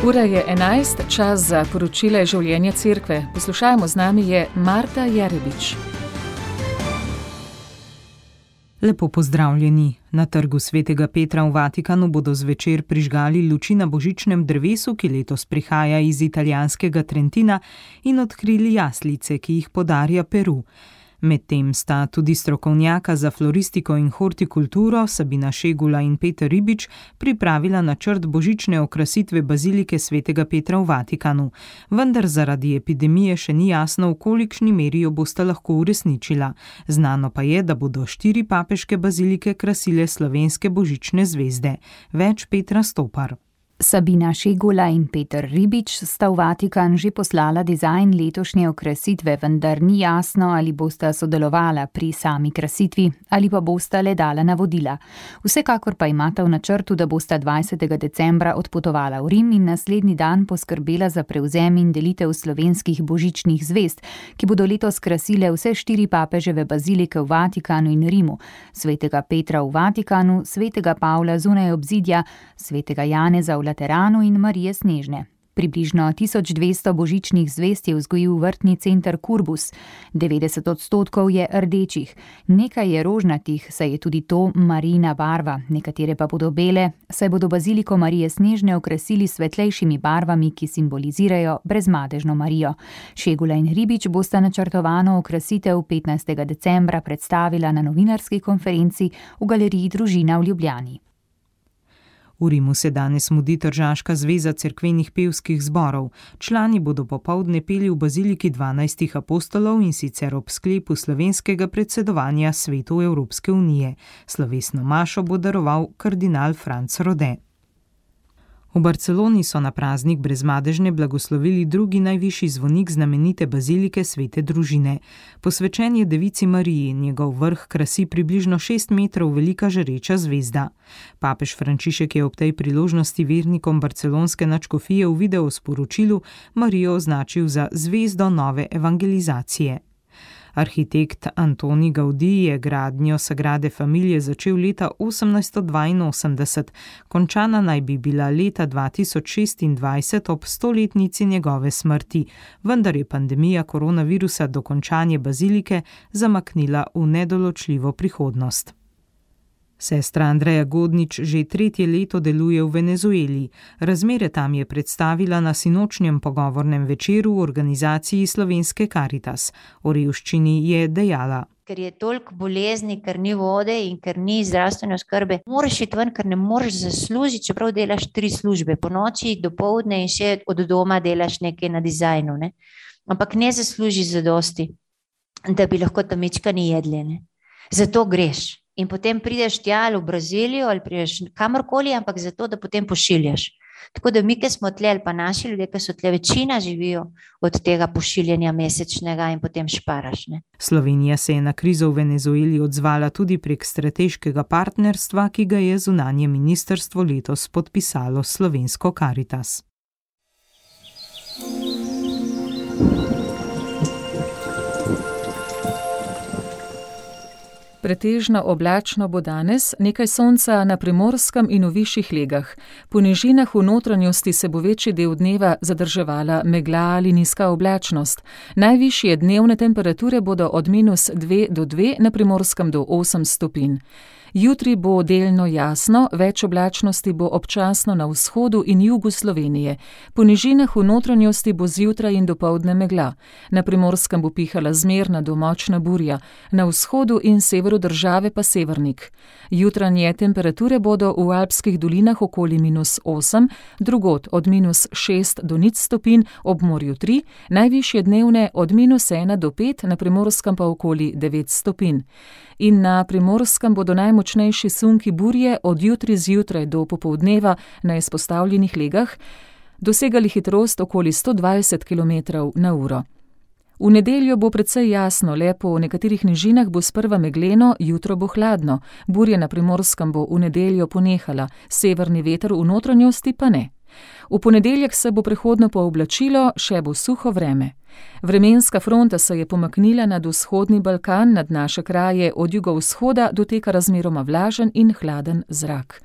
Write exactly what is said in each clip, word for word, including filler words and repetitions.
Ura je enajst, čas za poročila življenja cerkve. Poslušajmo, z nami je Marta Jerebič. Lepo pozdravljeni. Na trgu Svetega Petra v Vatikanu bodo zvečer prižgali luči na božičnem drevesu, ki letos prihaja iz italijanskega Trentina, in odkrili jaslice, ki jih podarja Peru. Medtem sta tudi strokovnjaka za floristiko in hortikulturo Sabina Šegula in Peter Ribič pripravila načrt božične okrasitve bazilike Svetega Petra v Vatikanu. Vendar zaradi epidemije še ni jasno, v kolikšni meri jo bosta lahko uresničila. Znano pa je, da bodo štiri papeške bazilike krasile slovenske božične zvezde. Več Petra Stopar. Sabina Šegula in Peter Ribič sta v Vatikan že poslala dizajn letošnje okrasitve, vendar ni jasno, ali bosta sodelovala pri sami krasitvi ali pa bosta le dala navodila. Vsekakor pa imata v načrtu, da bosta dvajsetega decembra odpotovala v Rim in naslednji dan poskrbela za prevzem in delitev slovenskih božičnih zvezd, ki bodo letos krasile vse štiri papeževe bazilike v Vatikanu in Rimu: Svetega Petra v Vatikanu, Svetega Pavla zunaj obzidja, Svetega Janeza v Lateranu in Marije Snežne. Približno tisoč dvesto božičnih zvezd je vzgojil vrtni center Kurbus. devetdeset odstotkov je rdečih, nekaj je rožnatih, saj je tudi to Marijina barva, nekatere pa bodo bele, saj bodo baziliko Marije Snežne okrasili s svetlejšimi barvami, ki simbolizirajo brezmadežno Marijo. Šegula in Ribič bosta načrtovano okrasitev petnajstega decembra predstavila na novinarski konferenci v galeriji Družina v Ljubljani. V Rimu se danes mudi Tržaška zveza cerkvenih pevskih zborov. Člani bodo popoldne peli v baziliki dvanajstih apostolov, in sicer ob sklepu slovenskega predsedovanja Svetu Evropske unije. Slovesno mašo bo daroval kardinal Franc Rode. V Barceloni so na praznik brezmadežne blagoslovili drugi najvišji zvonik znamenite bazilike Svete Družine. Posvečen je Devici Mariji, njegov vrh krasi približno šest metrov velika žareča zvezda. Papež Frančišek je ob tej priložnosti vernikom barcelonske nadškofije v videosporočilu Marijo označil za zvezdo nove evangelizacije. Arhitekt Antoni Gaudí je gradnjo Sagrade Familije začel leta osemnajststo dvainosemdeset, končana naj bi bila leta dva tisoč šestindvajset ob stoletnici njegove smrti, vendar je pandemija koronavirusa dokončanje bazilike zamaknila v nedoločljivo prihodnost. Sestra Andreja Godnič že tretje leto deluje v Venezueli. Razmere tam je predstavila na sinočnjem pogovornem večeru v organizaciji Slovenske Karitas. O revščini je dejala: Ker je toliko bolezni, ker ni vode in ker ni zdravstvene oskrbe, moraš iti ven, ker ne moreš zaslužiti, čeprav delaš tri službe, po noči, dopoldne in še od doma delaš nekaj na dizajnu, ne? Ampak ne zaslužiš zadosti, da bi lahko tam mičkani jedli, ne? Zato greš. In potem prideš tja v Brazilijo ali prideš kamorkoli, ampak zato, da potem pošiljaš. Tako da mi, ki smo tle, ali pa naši ljudje, ki so tle, večina živijo od tega pošiljanja mesečnega in potem šparaš, ne. Slovenija se je na krizo v Venezueli odzvala tudi prek strateškega partnerstva, ki ga je zunanje ministrstvo letos podpisalo s Slovensko Karitas. Pretežno oblačno bo danes, nekaj sonca na Primorskem in v višjih legah. Po nižinah v notranjosti se bo večji del dneva zadrževala megla ali nizka oblačnost. Najvišje dnevne temperature bodo od minus dve do dve, na Primorskem do osem stopinj. Jutri bo delno jasno, več oblačnosti bo občasno na vzhodu in jugu Slovenije. Po nižinah v notranjosti bo zjutraj in dopoldne megla. Na Primorskem bo pihala zmerna do močna burja, na vzhodu in severu države pa severnik. Jutranje temperature bodo v alpskih dolinah okoli minus osem, drugod od minus šest do nič stopinj, ob morju tri, najvišje dnevne od minus ena do pet, na Primorskem pa okoli devet stopinj. In na Primorskem bodo najmočnejši sunki burje od jutri zjutraj do popoldneva na izpostavljenih legah dosegali hitrost okoli sto dvajset kilometrov na uro. V nedeljo bo precej jasno, le po nekaterih nižinah bo sprva megleno, jutro bo hladno. Burja na Primorskem bo v nedeljo ponehala, severni veter v notranjosti pa ne. V ponedeljek se bo prehodno pooblačilo, še bo suho vreme. Vremenska fronta se je pomaknila nad vzhodni Balkan, nad naše kraje od jugovzhoda doteka razmeroma vlažen in hladen zrak.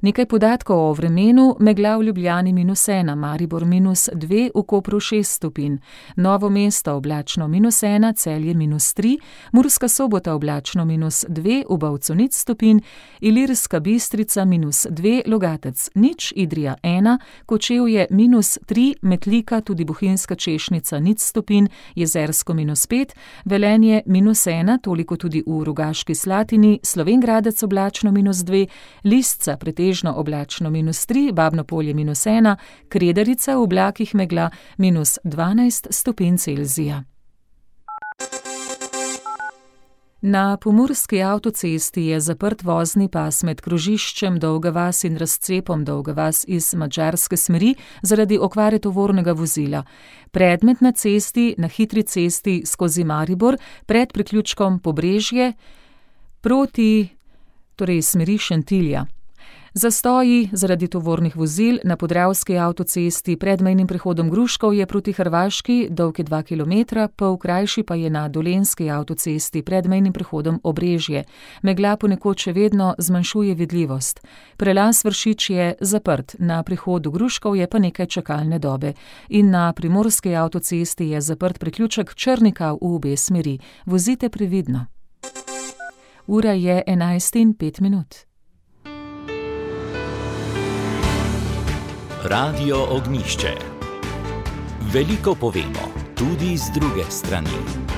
Nekaj podatkov o vremenu: megla v Ljubljani minus ena, Maribor minus dve, v Kopru šest stopinj, Novo mesto oblačno minus ena, Celje minus tri, Murska Sobota oblačno minus dve, v Bovcu nič stopinj, Ilirska Bistrica minus dve, Logatec nič, Idrija ena, Kočevje minus tri, Metlika, tudi Bohinjska Češnica nič stopinj, Jezersko minus pet, Velenje minus ena, toliko tudi v Rogaški Slatini, Slovenj Gradec oblačno minus dve, Lisca pretežno oblačno minus tri, Babno Polje minus ena, Kredarica v oblakih megla minus dvanajst stopinj Celzija. Na pomurski avtocesti je zaprt vozni pas med krožiščem Dolga vas in razcepom Dolga vas iz madžarske smeri zaradi okvare tovornega vozila. Predmet na cesti, na hitri cesti skozi Maribor, pred priključkom Pobrežje, proti, torej smeri Šentilja. Zastoji zaradi tovornih vozil na podravski avtocesti pred mejnim prehodom Gruškovje proti Hrvaški, dolg je dva kilometra, pol krajši pa je na dolenjski avtocesti pred mejnim prehodom Obrežje. Megla ponekod še vedno zmanjšuje vidljivost. Prelaz Vršič je zaprt, na prehodu Gruškovje pa nekaj čakalne dobe. In na primorski avtocesti je zaprt priključek Črnika v obe smeri. Vozite previdno. Ura je enajst in pet minut. Radio Ognjišče. Veliko povemo, tudi z druge strani.